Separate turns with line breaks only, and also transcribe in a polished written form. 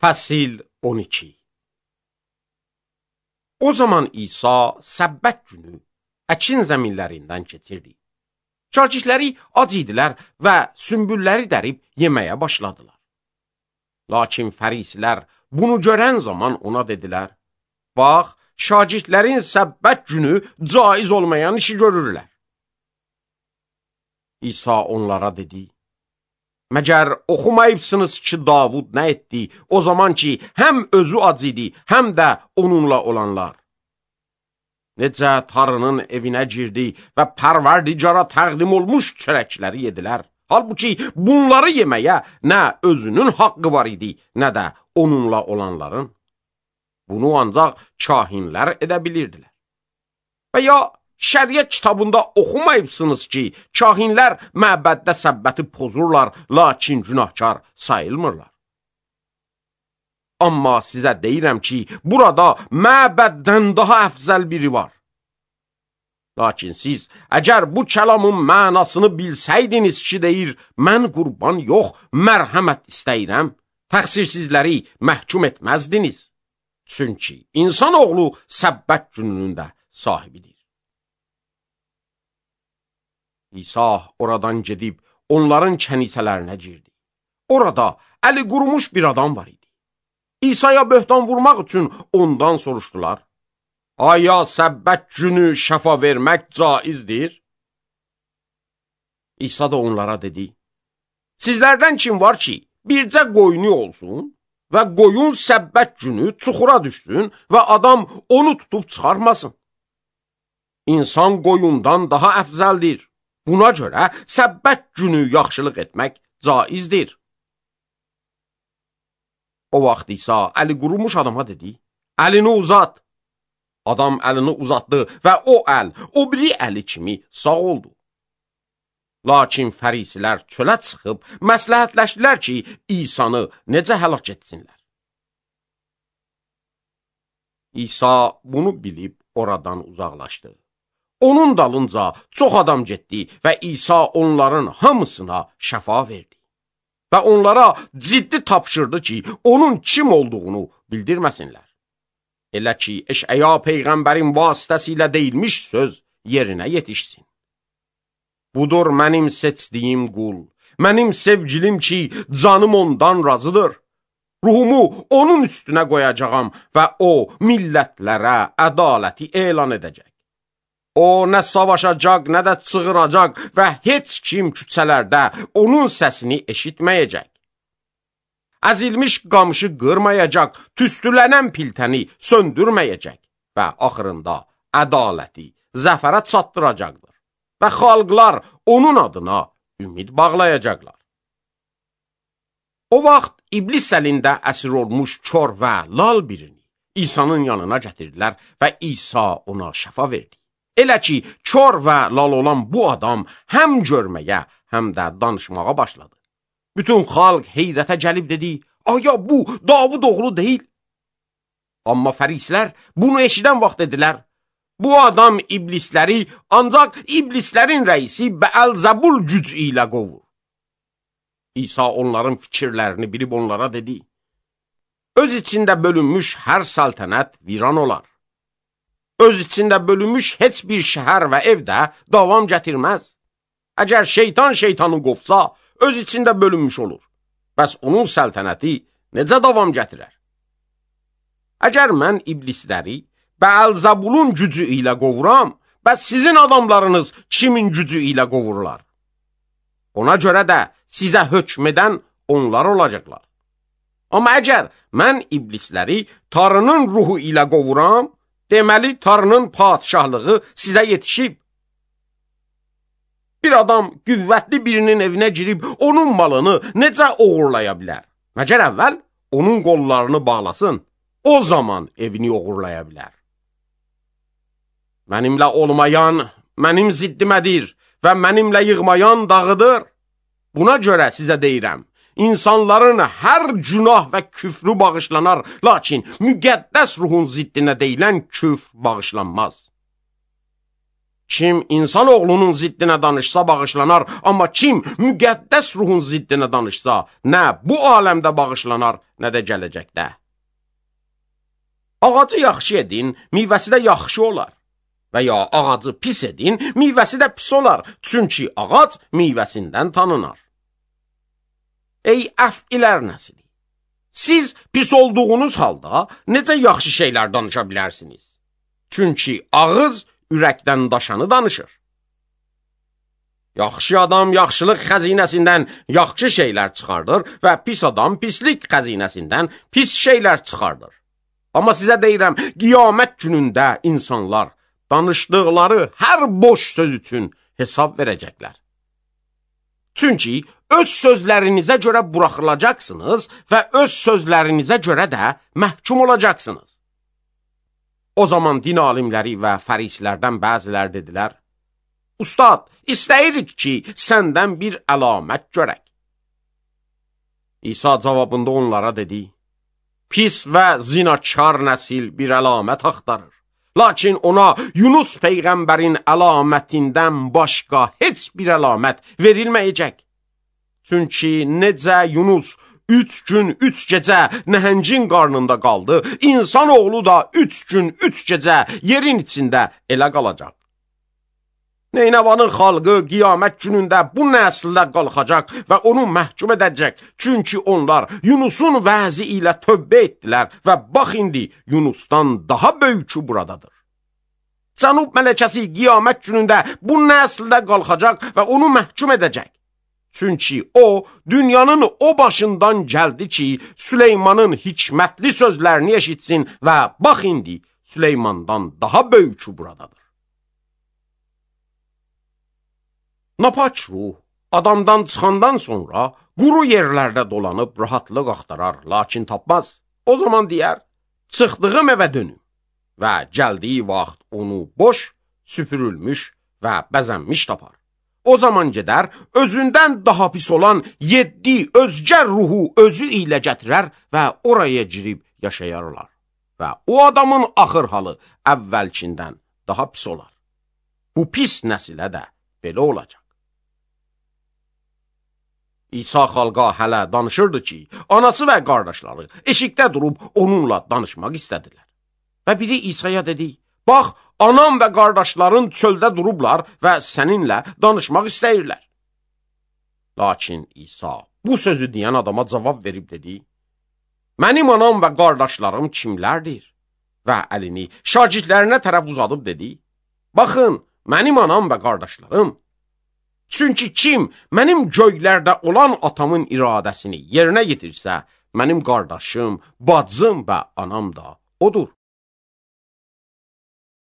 Fəsil 12. O zaman İsa səbbət günü əkin zəminlərindən keçirdi. Şagirdləri ac idilər və sümbülləri dərib yeməyə başladılar. Lakin fərisilər bunu görən zaman ona dedilər, bax, şagirdlərin səbbət günü caiz olmayan işi görürlər. İsa onlara dedi, məgər oxumayıbsınız ki, Davud nə etdi, o zaman ki, həm özü ac idi, həm də onunla olanlar. Necə tarının evinə girdi və pərverdigara təqdim olmuş çörəkləri yedilər. Halbuki bunları yeməyə nə özünün haqqı var idi, nə də onunla olanların. Bunu ancaq kahinlər edə bilirdilər. Və ya şəriət kitabında oxumayıbsınız ki, kahinlər məbəddə səbbəti pozurlar, lakin günahkar sayılmırlar. Amma sizə deyirəm ki, burada məbəddən daha əfzəl biri var. Lakin siz, əgər bu kəlamın mənasını bilsəydiniz ki, deyir, mən qurban yox, mərhəmət istəyirəm, təqsirsizləri məhkum etməzdiniz. Çünki insanoğlu səbbət gününün də sahibidir. İsa oradan gedib onların kənisələrinə girdi. Orada əli qurumuş bir adam var idi. İsa'ya böhtan vurmaq üçün ondan soruşdular. Aya səbbət günü şəfa vermək caizdir? İsa da onlara dedi. Sizlərdən kim var ki, bircə qoyunu olsun və qoyun səbbət günü çuxura düşsün və adam onu tutub çıxarmasın? İnsan qoyundan daha əfzəldir. Buna görə səbbət günü yaxşılıq etmək caizdir. O vaxt İsa əli qurumuş adama dedi, əlini uzat. Adam əlini uzatdı və o əl, o biri əli kimi sağ oldu. Lakin fərisilər çölə çıxıb məsləhətləşdilər ki, İsanı necə həlak etsinlər. İsa bunu bilib oradan uzaqlaşdı. Onun dalınca çox adam getdi və İsa onların hamısına şəfa verdi. Və onlara ciddi tapşırdı ki, onun kim olduğunu bildirməsinlər. Elə ki, Eşəya Peyğəmbərin vasitəsilə deyilmiş söz yerinə yetişsin. Budur mənim seçdiyim qul, mənim sevgilim ki, canım ondan razıdır. Ruhumu onun üstünə qoyacağam və o millətlərə ədaləti elan edəcək. O nə savaşacaq, nə də çığıracaq və heç kim küçələrdə onun səsini eşitməyəcək. Əzilmiş qamışı qırmayacaq, tüstülənən piltəni söndürməyəcək və axırında ədaləti zəfərə çatdıracaqdır və xalqlar onun adına ümid bağlayacaqlar. O vaxt iblis əlində əsir olmuş kör və lal birini İsa'nın yanına gətirdilər və İsa ona şəfa verdi. Elə ki, kör və lal olan bu adam həm görməyə, həm də danışmağa başladı. Bütün xalq heyrətə gəlib dedi, aya bu Davud oğlu deyil. Amma fərisilər bunu eşidən vaxt dedilər, bu adam iblisləri ancaq iblislərin rəisi Bəəlzəbul gücü ilə qovur. İsa onların fikirlərini bilib onlara dedi, öz içində bölünmüş hər səltənət viran olar. Öz içində bölünmüş heç bir şəhər və evdə davam gətirməz. Əgər şeytan şeytanı qovsa, öz içində bölünmüş olur. Bəs onun səltənəti necə davam gətirər? Əgər mən iblisləri Bəəlzəbulun gücü ilə qovuram, bəs sizin adamlarınız kimin gücü ilə qovurlar? Ona görə də sizə hökm edən onlar olacaqlar. Amma əgər mən iblisləri Tanrının ruhu ilə qovuram, deməli, Tanrının padişahlığı sizə yetişib. Bir adam qüvvətli birinin evinə girib onun malını necə oğurlaya bilər? Məgər əvvəl onun qollarını bağlasın, o zaman evini oğurlaya bilər. Mənimlə olmayan mənim ziddimədir və mənimlə yığmayan dağıdır. Buna görə sizə deyirəm, İnsanların hər günah və küfrü bağışlanar, lakin müqəddəs ruhun ziddinə deyilən küfr bağışlanmaz. Kim insan oğlunun ziddinə danışsa bağışlanar, amma kim müqəddəs ruhun ziddinə danışsa, nə bu aləmdə bağışlanar, nə də gələcəkdə. Ağacı yaxşı edin, meyvəsi də yaxşı olar. Və ya ağacı pis edin, meyvəsi də pis olar. Çünki ağac meyvəsindən tanınar. Ey əfqilər nəsli! Siz pis olduğunuz halda necə yaxşı şeylər danışa bilərsiniz? Çünki ağız ürəkdən daşanı danışır. Yaxşı adam yaxşılıq xəzinəsindən yaxşı şeylər çıxardır və pis adam pislik xəzinəsindən pis şeylər çıxardır. Amma sizə deyirəm, qiyamət günündə insanlar danışdıqları hər boş söz üçün hesab verəcəklər. Çünki öz sözlərinizə görə buraxılacaqsınız və öz sözlərinizə görə də məhkum olacaqsınız. O zaman din alimləri və fərislərdən bəzilər dedilər, Ustad, istəyirik ki, səndən bir əlamət görək. İsa cavabında onlara dedi, Pis və zinakar nəsil bir əlamət axtarır. Lakin ona Yunus peyğəmbərin əlamətindən başqa heç bir əlamət verilməyəcək. Çünki necə Yunus 3 gün, 3 gecə nəhəngin qarnında qaldı, insan oğlu da 3 gün, 3 gecə yerin içində elə qalacaq. Neynəvanın xalqı qiyamət günündə bu nəsildə qalxacaq və onu məhkum edəcək. Çünki onlar Yunusun vəzi ilə tövbə etdilər və bax indi Yunusdan daha böyükü buradadır. Cənub mələkəsi qiyamət günündə bu nəsildə qalxacaq və onu məhkum edəcək. Çünki o, dünyanın o başından gəldi ki, Süleymanın hikmətli sözlərini eşitsin və bax indi Süleymandan daha böyükü buradadır. Napaç ruh adamdan çıxandan sonra quru yerlərdə dolanıb rahatlıq axtarar, lakin tapmaz. O zaman deyər, çıxdığım evə dönüm və gəldiyi vaxt onu boş, süpürülmüş və bəzənmiş tapar. O zaman gedər, özündən daha pis olan 7 özgə ruhu özü ilə gətirər və oraya girib yaşayarlar. Və o adamın axır halı əvvəlkindən daha pis olar. Bu pis nəsilə də belə olacaq. İsa xalqa hələ danışırdı ki, anası və qardaşları eşikdə durub onunla danışmaq istədilər. Və biri İsa'ya dedi, bax, anam və qardaşların çöldə durublar və səninlə danışmaq istəyirlər. Lakin İsa bu sözü deyən adama cavab verib dedi, mənim anam və qardaşlarım kimlərdir? Və əlini şagirdlərinə tərəf uzadıb dedi, baxın, mənim anam və qardaşlarım. Çünki kim mənim göylərdə olan atamın iradəsini yerinə yetirsə, mənim qardaşım, bacım və anam da odur.